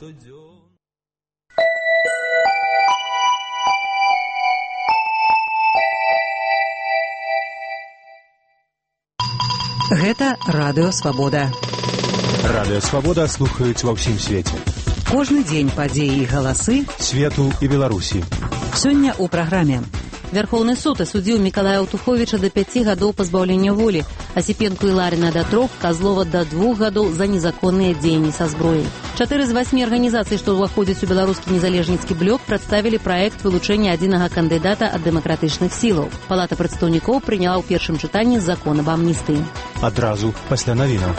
Гэта Радыё Свабода. Радыё Свабода слухаюць ва ўсім свеце. Кожны дзень падзеі і галасы свету і Беларусі. Сёння ў праграме. Вярхоўны суд асудзіў Мікалая Аўтуховіча да 5 гадоў пазбаўлення волі, Асіпенку і Ларіна да 3, Казлова да 2 гадоў за незаконныя дзеянні са зброяй. 4 з 8 арганізацый, што ўваходзяць у беларускі незалежніцкі блок, прадставілі праект вылучэння адзінага кандыдата ад дэмакратычных сілаў. Палата прадстаўнікоў прыняла ў першым чытанні закон аб амністыі. Адразу пасля навінаў.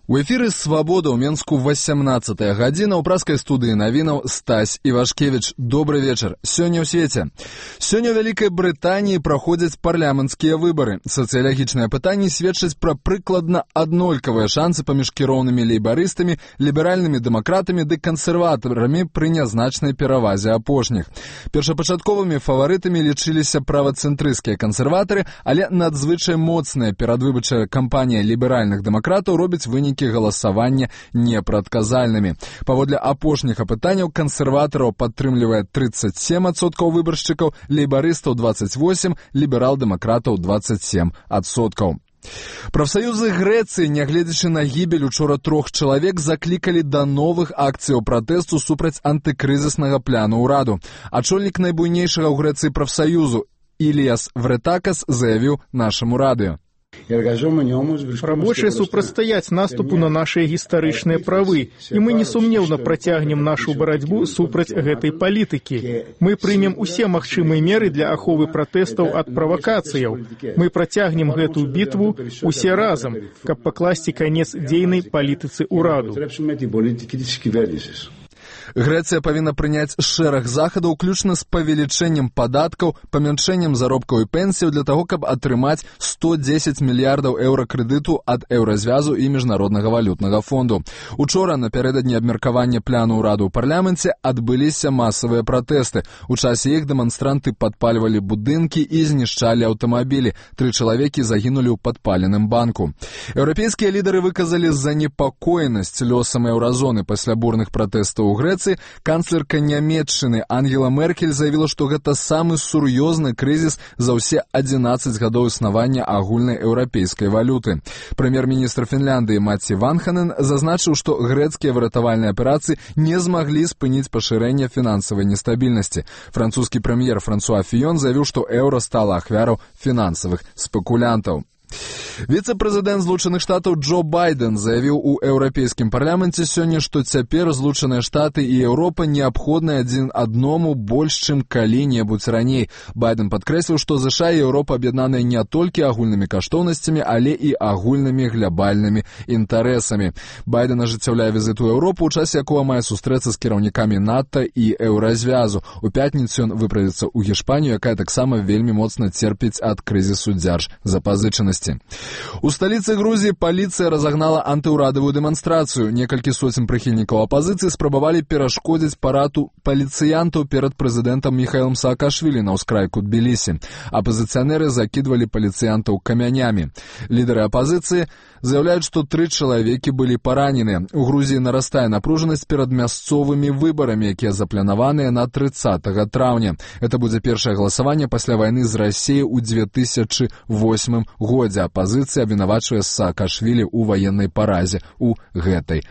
У эфіры «Свабода» ў Менску 18-я гадзіна. У праскай студыі навінаў Стась Івашкевіч. Добры вечар. Сёння ў свеце. Сёння ў Вялікай Брытаніі праходзяць парламенцкія выбары. Сацыялагічныя пытанні сведчаць пра прыкладна аднолькавыя шансы паміж кіроўнымі лейбарыстамі, ліберальнымі дэмакратамі ды кансерватарамі пры нязначнай перавазе апошніх. Першапачатковымі фаварытамі лічыліся правацэнтрысцкія кансерватары, але надзвычай моцная перадвыбарчая кампанія ліберальных дэмакратаў робіць вынікі галасавання непрадказальнымі. Паводле апошніх апытанняў кансерватараў падтрымлівае 37% выбаршчыкаў, лейбарыстаў 28%, ліберал-дэмакратаў 27%. Прафсаюзы Грэцыі, нягледзячы на гібель учора 3 чалавек, заклікалі да новых акцыяў пратэсту супраць антыкрызіснага пляну ўраду. Ачольнік найбуйнейшага ў Грэцыі прафсаюзу Іліас Вретакас заявіў нашаму радыё. Рабочие супрацьстаяць наступу на наши гістарычныя правы, і мы несумнеўна працягнем нашу барацьбу супраць гэтай палітыкі. Мы прымем усе магчымыя меры для аховы пратэстаў ад правакацыяў. Мы працягнем гэтую бітву усе разам, каб пакласці канец дзейнай палітыцы ўраду. Грэцыя павінна прыняць шэраг захадаў, уключна з павелічэннем падаткаў, памяншэннем заробкаў і пенсіяў для таго, каб атрымаць 110 мільярдаў еўра крэдыту ад Еўразвязу і Міжнароднага валютнага фонду. Учора, напярэдадні абмеркавання пляну ўраду ў парламенце, адбыліся масавыя пратэсты. У часе іх дэманстранты падпальвалі будынкі і знішчалі аўтамабілі. 3 чалавекі загінулі ў падпаленым банку. Еўрапейскія лідары выказалі занепакоенасць лёсам еўразоны пасля бурных пратэстаў у Грэцыі. Канцлерка Нямецчыны Ангела Меркель заявіла, што гэта самы сур'ёзны крызіс за ўсе 11 гадоў існавання агульнай еўрапейскай валюты. Прэм'ер-міністр Фінляндыі Матці Ванханен зазначыў, што грэцкія выратавальныя аперацыі не змаглі спыніць пашырэнне фінансавай нестабільнасці. Французскі прэм'ер Франсуа Фіён заявіў, што еўра стала ахвяраў фінансавых спекулянтаў. Віцэ-прэзідэнт Злучаных Штатаў Джо Байден заявіў у Еўрапейскім парламенце сёння, што цяпер Злучаныя Штаты і Еўропа неабходныя адзін адному больш, чым калі-небудзь раней. Байден падкрэсліў, што ЗША і Еўропа аб'яднаныя не толькі агульнымі каштоўнасцямі, але і агульнымі глябальнымі інтарэсамі. Байден ажыццяўляе візіт у Еўропу, у часе якога мае сустрэцца з кіраўнікамі НАТО і Еўразвязу. У пятніцу ён выправіцца ў Гішпанію, якая таксама вельмі моцна церпіць ад крызісу дзяржзапазычанасці. У сталіцы Грузіі паліцыя разагнала антыўрадавую дэманстрацыю. Некалькі соцень прыхільнікаў апазіцыі спрабавалі перашкодзіць параду паліцыянтаў перад прэзідэнтам Міхаілам Саакашвілі на ўскрайку Тбілісі. Апазіцыянеры закідвалі паліцыянтаў камянямі. Лідары апазіцыі заяўляюць, што 3 чалавекі былі параненыя. У Грузіі нарастае напружанасць перад мясцовымі выбарамі, якія запланаваныя на 30 траўня. Это будзе першае галасаванне пасля вайны з Расіяй у 2008 годзе. Апазіцыя абвінавачвае Саакашвілі ў ваеннай паразе ў гэтай